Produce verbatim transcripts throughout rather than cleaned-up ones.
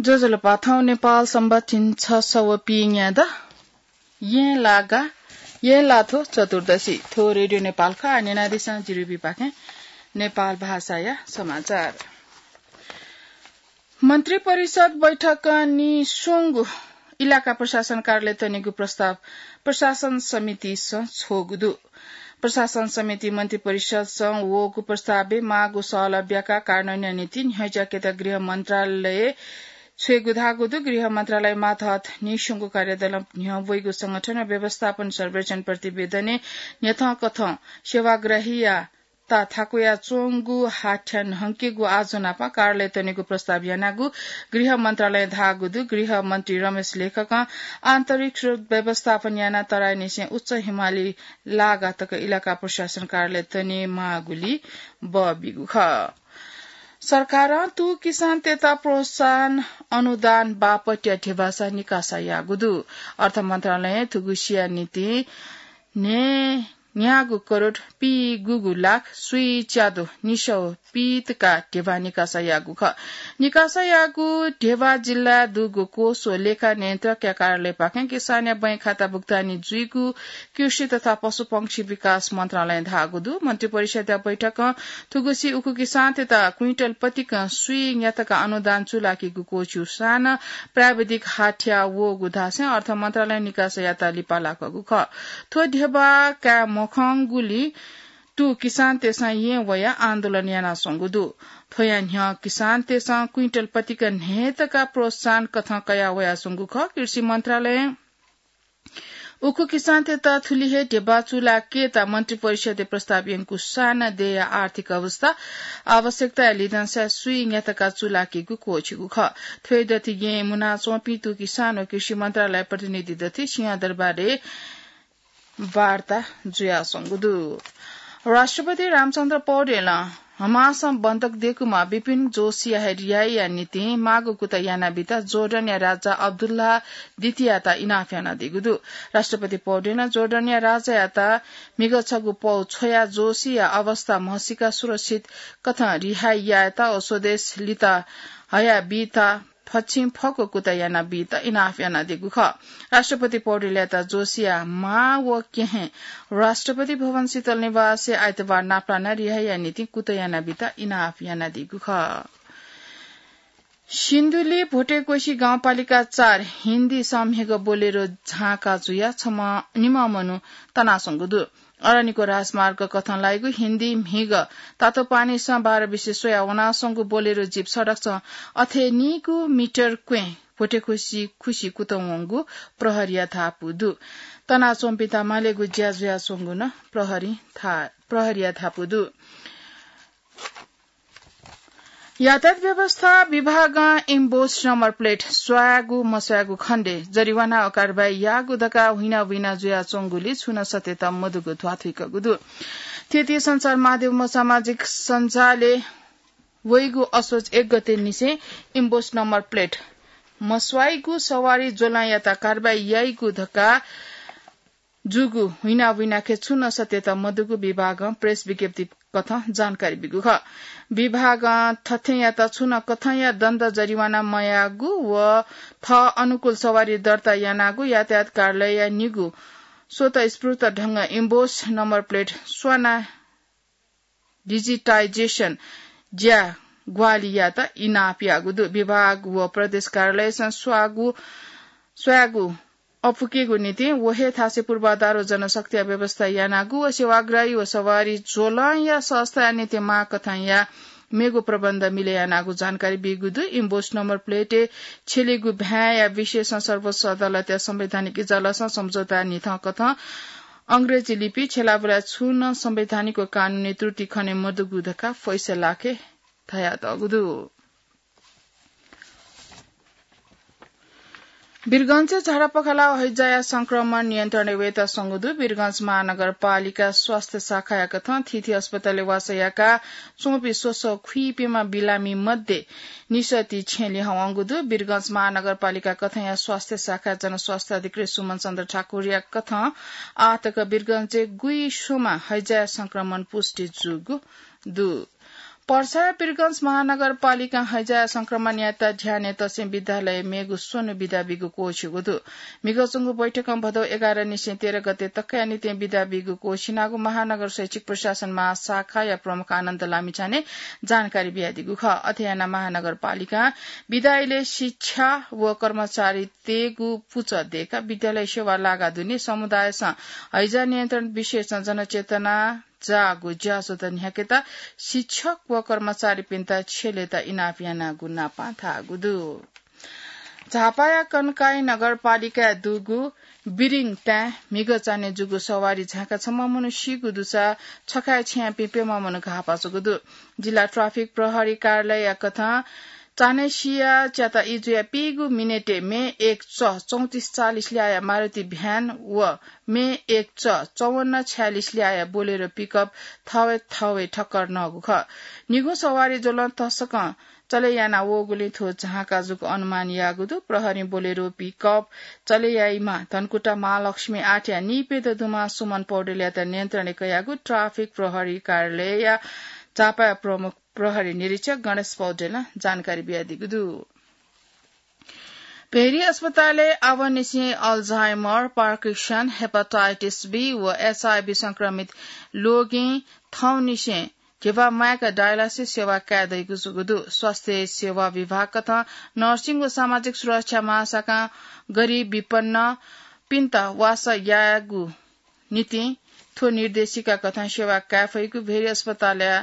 ज्वजलपा, थौं नेपाल संवत झिंछसः व पीन्यादँ येँलागा, येँलाथ्व चतुर्दशी। थ्व रेडियो नेपाल खः। आः न्यनादिसँ जिरिबी पाखें नेपाल भाषाया समाचार। मन्त्री परिषद बैठकं नीस्वंगु इलाका प्रशासन कार्यालय तनेगु प्रस्ताव प्रशासन समितिसं छ्वःगु दु। प्रशासन समिति मन्त्री परिषदसं वःगु प्रस्तावय् माःगु सहलह ब्याकाः कार्यान्वयनया निंतिं न्ह्यज्याकेत गृह मन्त्रालय छ्वयेगु धाःगु दु। गृह मन्त्रालय मातहत नीस्वंगु कार्यदलं न्ह्यब्वइगु संगठन व व्यवस्थापन सर्वेक्षण प्रतिवेदनय् न्ह्यथंकथं सेवाग्राहीया ता थाकुया च्वंगु हाथ्या न्हंकेगु आजोनापं कार्यालय तनेगु प्रस्ताव यानागु गृह मन्त्रालयं धाःगु दु। गृह मन्त्री रमेश लेखकं आन्तरिक स्रोत व्यवस्थापन यानाः तराईनिसें उच्च हिमाली लागा तक इलाका प्रशासन कार्यालय तने माःगुली बबिगु खः। सरकारं तू किसानतय्त प्रोत्साहन अनुदान बापतया ध्यबासा निकासा याःगु दु। अर्थ मन्त्रालयं थुगुसिया निंतिं न्हय् न्यागू करोड पीगूगू लाख स्वीच्यादँ निसः पीतका ध्यबा निकासा याःगु खः। निकासा याःगु ध्यबा जिल्लाय् दुगु कोष व लेखा नियन्त्रकया कार्यालयपाखें किसानया बैंक खाता भुक्तानी जुइगु कृषि तथा पशुपंक्षी विकास मन्त्रालयं धाःगु दु। मन्त्री परिषदया बैठकं थुगुसी उखु किसानतय्त क्विन्टल पतिकं स्वीन्यातका अनुदान चूलाकीगु क्वःछिउसां प्राविधिक हाथ्या वःगु धासें अर्थ मन्त्रालयं निकासा यात लिपा लाकःगु खः। थ्व ध्यबा काये मखंगुलिं तू किसानतय्सं येँ वयाः आन्दोलन यानाच्वंगु दु। थ्वया न्ह्यः किसानतय्सं क्विन्टल पतिक न्हय्तका प्रोत्साहन कथं कयाः वयाच्वंगु खः। कृषि मन्त्रालयं उखु किसानतय्त थुलि हे ध्यबा चूलाकेत मन्त्री परिषदय् प्रस्ताव यंकूसां देय्या आर्थिक अवस्था, आवश्यकताया लिधंसां स्वीन्यातका चूलाकीगु क्वःछिउगु खः। थ्वय् दथि येँ मुनाच्वंपिं तू किसान व कृषि मन्त्रालय प्रतिनिधि दथि सिंहदरबारय् वार्ता जुयाच्वंगु दु। राष्ट्रपति रामचन्द्र पौडेलं हमासं बन्धक दयेकूम्ह बिपिन जोशीया हे रिहाईया निंतिं माःगु कुतः यानाबीत जोर्डनया राजा अब्दुल्लाह द्वितीययात इनाप यानादीगु दु। राष्ट्रपति पौडेलं जोर्डनया राजायात म्हिगः छगू पौ छ्वयाः जोशीया अवस्था म्हसीकाः सुरक्षित कथं रिहाई यायेत व स्वदेश लित हयाबीत फच्छि फक्व कुतः यानाबीत इनाप यानादीगु खः। राष्ट्रपति पौडेलयात जोशीया मां व केहें राष्ट्रपति भवन शीतल निवासय् आइतबार नापलानाः रिहाईया निंतिं कुतः यानाबीत इनाप यानादीगु खः। सिन्धुली भोटेकोशी गाउँपालिका चार हिन्दीसं म्हिगः बोलेरो झांका जुयाः छम्ह निम्ह मनू तनाच्वंगु दु। अरनिको राजमार्ग कथं लाइगु हिन्दी म्हिगः तातोपानीसं बाह्र बिसे स्वयाः वनाच्वंगु बोलेरो जीप सडकसं अथेनीगू मिटर क्वें भोटेकोशी खुसि कुतः वंगु प्रहरीया धापू दु। तनाच्वंपिन्त मालेगु ज्या जुयाच्वंगु नं प्रहरी धा-, प्रहरीया धापू दु। यातायात व्यवस्था विभागं इम्बोस नम्बर प्लेट स्वायेगु मस्वायेगु खण्डय् जरिवाना व कारवाही याःगु धकाः हुइना हुइना जुयाच्वंगुलिइ छुं नं सत्यता मदुगु ध्वाथुइकूगु दु। थीथी सञ्चार माध्यम व सामाजिक सञ्जालय् वइगु असोज एक गते निसें इम्बोस नम्बर प्लेट मस्वाइगु सवारी ज्वलंयात कारवाही याइगु धकाः जूगु हुइना हुइनाखे छुं नं सत्यता मदुगु विभागं प्रेस विज्ञप्ति कथं जानकारी बीगु खः। विभागं थथेंयात छुं नं कथंया दण्ड जरिवाना मयाःगु व थः अनुकूल सवारी दर्ता यानागु यातायात कार्यालयया निगू स्वतःस्फूर्त ढंगं emboss number plate sauna digitisation ज्या ग्वाहालि यायेत इनाप याःगु दु। विभाग व प्रदेश कार्यालयसं स्वागु, स्वायेगु अपुकेगु निंतिं व हे थासय् पूर्वाधार व जनशक्तिया व्यवस्था यानागु व सेवाग्राही व सवारी ज्वलंया सहजताया निंतिं माःकथंया मेगु प्रबन्ध मिले यानागु जानकारी बीगु दु। इम्बोस नम्बर प्लेटय् छ्यलीगु भ्याँया विषयसं सर्वोच्च अदालतया संवैधानिक इजलासं सम्झौता न्हिथं कथं अंग्रेजी लिपि छ्यलाबुलाय् छुं नं संवैधानिक व कानूनी त्रुटि खने मदुगु धकाः फैसलाखे धयातःगु दु। वीरगंजय् झाडापखाला व हैजाया संक्रमण नियन्त्रणय् वयेत स्वंगु दु। वीरगंज महानगरपालिका स्वास्थ्य शाखाया कथं थीथी अस्पतालय् वासः याका च्वंपिं स्वसः खुइपिंम्ह बिरामी मध्ये निसः ति छेँ लिहां वंगु दु। वीरगंज महानगरपालिका कथंया स्वास्थ्य शाखा जनस्वास्थ्य अधिकृत सुमन चन्द्र ठाकुरया कथं आःतक वीरगंजय् गुइस्वम्ह हैजाया संक्रमण पुष्टि जूगु दु। पर्सा वीरगंज महानगरपालिकां हैजा संक्रमणयात ध्यानय् तसें विद्यालयय् मेगु स्वन्हु बिदा बीगु क्वःछिउगु दु। म्हिगः च्वंगु बैठकं भदौ एघार निसें तेह्र गते तकया निंतिं बिदा बीगु क्वःछिनागु महानगर शैक्षिक प्रशासन महाशाखाया प्रमुख आनन्द लामिछानें जानकारी बियादीगु खः। अथे यानाः महानगरपालिकां बिदा इलय् शिक्षा व कर्मचारीतय्गु पुचः दय्काः विद्यालय सेवा लागा दुने समुदायसं हैजा नियन्त्रण विषयसं जनचेतना जाःगु ज्याझ्वः न्ह्याकेत शिक्षक व कर्मचारीपिन्त छ्यलेत इनाप यानागु नापं धाःगु दु। झापाया कनकाई नगरपालिकाय् दुगु बिरिङ ताय् म्हिगः चान्हय् जूगु सवारी झाँकाः छम्ह मनू सीगु दुसा छखाय् छ्याःपिं प्यम्ह मनू घाःपाः जूगु दु। जिल्ला ट्राफिक प्रहरी कार्यालयया कथं चान्हय् सिया च्याता ई जुया पीगु मिनेटय् मे एक च चौंतिस चालिस ल्याःया मारुति भ्यान व मे एक च चौवन्न छयालिस ल्याःया बोलेरो पिकअप थःवय् थःवय् ठक्कर नःगु खः। निगू सवारी ज्वलं तसकं चले याना वःगुलिं थ्व झाँका जूगु अनुमान याःगु दु। प्रहरीं बोलेरो पिकअप चले याइम्ह धनकुटा महालक्ष्मी आठया नीप्यदँ दुम्ह सुमन पौडेलयात नियन्त्रणय् कयागु ट्राफिक प्रहरी कार्यालयया झापाया प्रमुख प्रहरी निरीक्षक गणेश पौडेलं जानकारी बियादीगु दु। भेरी अस्पतालय् आवंनिसें अल्जाइमर, पार्किन्सन, हेपाटाइटिस बी व एचआईभी संक्रमित लोगिं थौंनिसें धिबा माय्क डायलासिस सेवा काये दइगु जूगु दु। स्वास्थ्य सेवा विभाग कथं नर्सिङ व सामाजिक सुरक्षा महाशाखां गरिब विपन्नपिन्त वासः यायेगु निंतिं थ्व निर्देशिका कथं सेवा काये फइगु भेरी अस्पतालया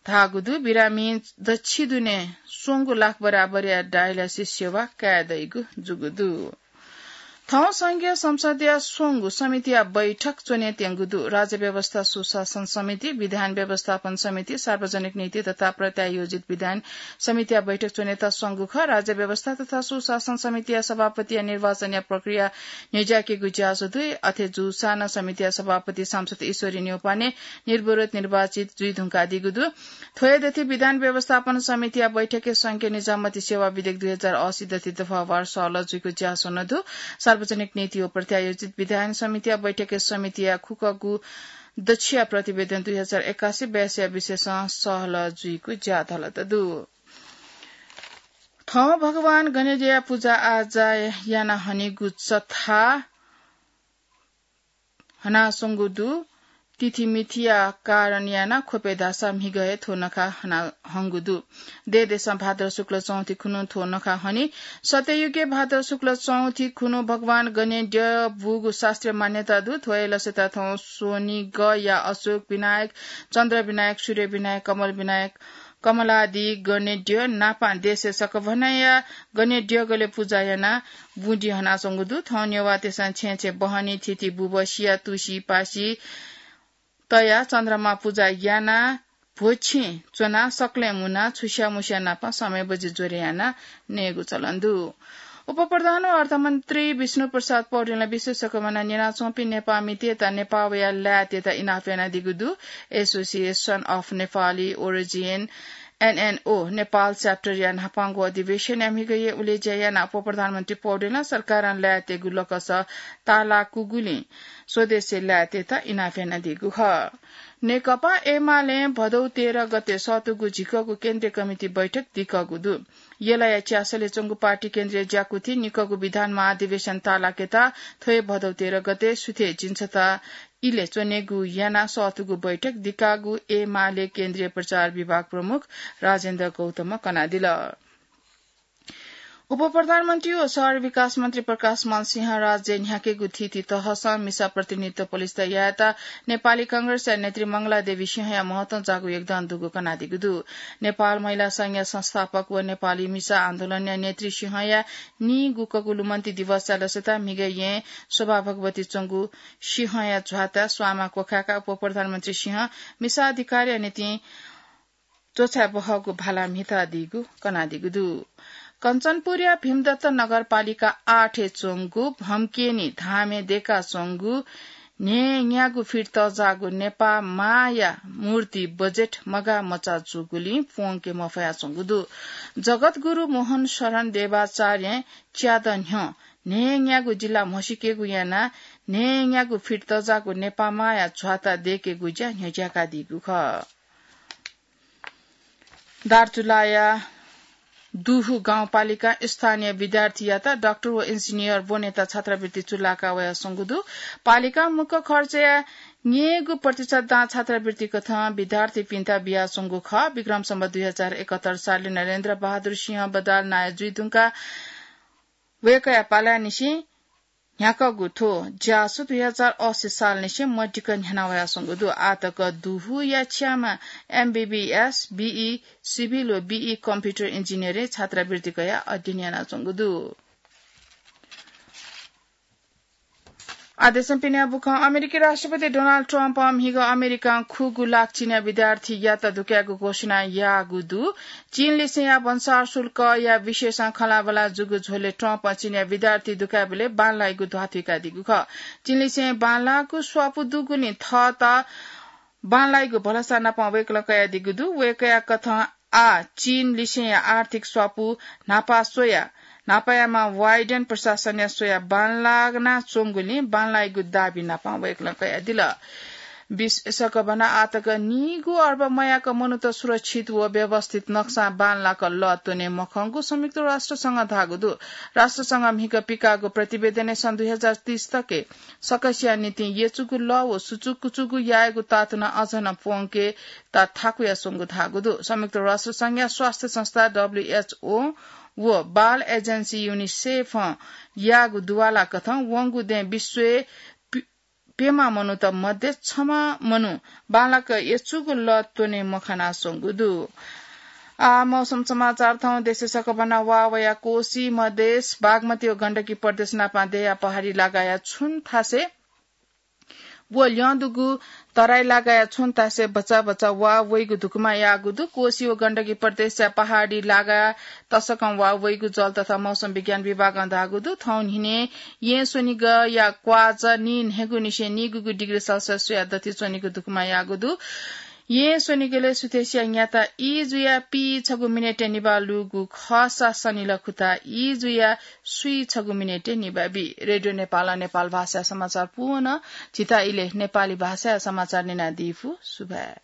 धाःगु दु। बिरामीं दच्छि दुने स्वंगू लाख बराबरया डायलासिस सेवा काये दइगु जूगु दु। थौं संघीय संसदया स्वंगू समितिया बैठक च्वने त्यंगु दु। राज्य व्यवस्था सुशासन समिति, विधान व्यवस्थापन समिति, सार्वजनिक नीति तथा प्रत्यायोजित विधान समितिया बैठक च्वनेत स्वंगू खः। राज्य व्यवस्था तथा सुशासन समितिया सभापतिया निर्वाचनया प्रक्रिया न्ह्यज्याकेगु ज्याझ्वः दु। अथे जूसां नं समितिया सभापति सांसद ईश्वरी न्यौपाने निर्विरोध निर्वाचित जुइ धुंकादीगु दु। थ्व हे दथि विधान व्यवस्थापन समितिया बैठकय् संघीय निजामती सेवा विधेयक दुई हजार असी दथि दफावार सहलह जुइगु ज्याझ्वः नं दु। सार्वजनिक नीति व प्रत्यायोजित विधान समितिया बैठकय् समितिया खुकगू दच्छिया प्रतिवेदन दुई हजार एकासी बयासीया विषयसं सहलह जुइगु ज्याझ्वः दु। थौं भगवान गणेद्यःया पुजा आजा याना हनीगु चथा हनाच्वंगु दु। तिथिमिथिया कारण यानाः ख्वपय् धाःसा म्हिगः हे थ्व नखः हना हंगु दु। देय् देशं भाद्र शुक्ल चौथि खुन्हु थ्व नखः हनी। सत्ययुगय् भाद्र शुक्ल चौथि खुन्हु भगवान गणेद्यः बूगु शास्त्रीय मान्यता दु। थ्व हे लसय्‌त थौं स्वनिगःया अशोक विनायक, चन्द्र विनायक, सूर्य विनायक, कमल विनायक, कमलादि गणेद्यः नापं देशय् सकभनया गणेद्यःगलय् पुजा यानाः बुँदि हनाच्वंगु दु। थौं नेवाःतय्‌सं छेँय् छेँय् बहनी, थिति, बुबसिया, तुसि, पासि तयाः चन्द्रमा पुजा यानाः भ्वछिं च्वनाः सकलें मुनाः छुस्या मुस्या नाप समय बजि ज्वरे यानाः नयेगु चलन दु। उपप्रधान व अर्थमन्त्री विष्णु प्रसाद पौडेलं विश्व सकभनं न्यनाच्वंपिं नेपाःमितय्‌त नेपाःया लाय्‌तय्‌त इनाप यानादीगु दु। Association of Nepali Origin, एनएनओ, नेपाल च्याप्टरया न्हापांगु अधिवेशनय् म्हिगः हे उलेज्या यानाः उपप्रधानमन्त्री पौडेलं सरकारं लाय्‌तय्‌गु लकस तालाकूगुलिं स्वदेशी लाय्‌तय्‌त इनाप यानादीगु खः। नेकपा एमालें भदौ तेह्र गते सःतूगु झिकःगु केन्द्रीय कमिटी बैठक दिकःगु दु। यलया च्यासलय् च्वंगु पार्टी केन्द्रीय ज्याकुथिं निकःगु विधान महाधिवेशन तालाकेत थ्व हे भदौ तेह्र गते सुथय् झिंछता इलय् च्वनेगु यानाः सःतूगु बैठक दिकाःगु एमाले केन्द्रीय प्रचार विभाग प्रमुख राजेन्द्र गौतमं कनादिल। उपप्रधानमन्त्री व शहर विकास मन्त्री प्रकाशमान सिंहं राज्य न्ह्याकेगु थीथी तहसं मिसा प्रतिनिधित्व पलिस्था यायेत नेपाली कांग्रेसया नेत्री मंगला देवी सिंहया महत्वं जाःगु योगदान दुगु कनादीगु दु। नेपाल महिला संघया संस्थापक व नेपाली मिसा आन्दोलनया नेत्री सिंहया नीगुकगु लुमन्ति दिवसया लसता म्हिगः येँय् शोभा भगवती च्वंगु सिंहया झ्वाता स्वांमा क्वखाय्‌काः उपप्रधानमन्त्री सिंहं मिसा अधिकारया निंतिं च्वछाय् बहःगु भाला म्हितादीगु कनादीगु दु। कञ्चनपुरया भीमदत्त नगरपालिका आठय् च्वंगु भम्केनी धामय् दय्काच्वंगु न्हय्न्यागू फिट तःजाःगु नेपाः मांया मूर्ति बजेट मगाः मचा जूगुलिं प्वंके मफयाच्वंगु दु। जगतगुरु मोहन शरण देवाचार्यं च्यादँ न्ह्यः न्हय्न्यागू जिल्ला म्हसीकेगु यानाः न्हय्न्यागू फिट तःजाःगु नेपाः मांया झ्वाता दय्केगु ज्या न्ह्यज्याकादीगु खः। दार्चुलाया दुहु गाउँपालिका स्थानीय विद्यार्थीयात डाक्टर व इन्जिनियर ब्वनेत छात्रवृत्ति चुलाका वयाच्वंगु दु। पालिका मुक्त खर्चया न्ययेगु प्रतिशत दां छात्रवृत्ति कथं विद्यार्थीपिन्त बियाच्वंगु खः। विक्रम सम्वत दुई हजार एकहत्तर सालय् नरेन्द्र बहादुर सिंह बदाल नायः जुइधुंकाः वय्कःया पालाय् निसें न्ह्याकःगु थ्व ज्यासु दुई हजार अस्सी सालनिसें मदिक्क न्ह्याना वयाच्वंगु दु। आःतक दुहुया छ्यामा एमबीबीएस, बीई सिभिल व बीई कम्प्युटर इन्जिनियरिङ छात्रवृत्ति कयाः अध्ययन यानाच्वंगु दु। आदेशं पिने बुखं अमेरिकी राष्ट्रपति डोनाल्ड ट्रम्पं म्हिगः अमेरिकां खुगू लाख चीनया विद्यार्थीयात दुकायेगु घोषणा याःगु दु। चीनलिसेंया भन्सार शुल्कया विषयसं खँल्हाबल्हा जूगु झ्वलय् ट्रम्पं चीनया विद्यार्थी दुकायेबलय् बांलाइगु ध्वाथुइकादीगु खः। चीनलिसें बांलाःगु स्वापू दुगुलिं थःत बांलाइगु भलसा नापं वय्कलं कयादीगु दु। वय्कःया कथं आः चीनलिसेंया आर्थिक स्वापू न्हापा स्वयाः न्हापायाम्ह बाइडेन प्रशासनया स्वयाः बांलाना च्वंगुलिं बांलाइगु दाबी नापं वय्कलं कयादिल। विश्व सकभना आःतक नीगू अर्ब मयाक मनूत सुरक्षित व व्यवस्थित नक्सां बांलाक लः त्वने मखंगु संयुक्त राष्ट्रसंघं धाःगु दु। राष्ट्रसंघं म्हिगः पिकाःगु प्रतिवेदनय् सन् दुई हजार तीस तके सकसिया निंतिं यचुगु लः व सुचुकुचुगु यायेगु तातुना अझ नं प्वंकेत थाकुयाच्वंगु धाःगु दु। संयुक्त राष्ट्रसंघया स्वास्थ्य संस्था डब्ल्यूएचओ व बाल एजेन्सी युनिसेफं याःगु दुवाला कथं वंगु दँय् विश्वय् प्यम्ह मनूत मध्ये छम्ह मनू बांलाक यचुगु लः त्वने मखनाच्वंगु दु। आः मौसम समाचार थौं देशय् सकभना वा वया कोशी, मधेश, बागमती व गण्डकी प्रदेश नापं दया पहाडी लागाया छुं थासय् व ल्यं दुगु तराई लागाया छुं थासय् भचा भचा वा वइगु धुकुमा याःगु दु। कोशी व गण्डकी प्रदेशया पहाडी लागाया तसकं वा वइगु जल तथा मौसम विज्ञान विभागं धाःगु दु। थौं न्हिनय् यें स्वनिगःया क्वाःचा नीन्हय्गु निसें नीगुगु डिग्री सेल्सियस स्वयाः दथि च्वनीगु धुकुमा याःगु दु। यें स्वनिगलय् सुथसिया न्याता ई जुयाः पीछगू मिनेटय् निभाः लूगु खःसा सनिलः खुताः ई जुयाः स्वीछगू मिनेटय् निभाः बी। रेडियो नेपालं नेपाल भाषाया समाचार पूवन। झीत इलय् नेपाली भाषाया समाचार न्यनादीफु। सुभाय्।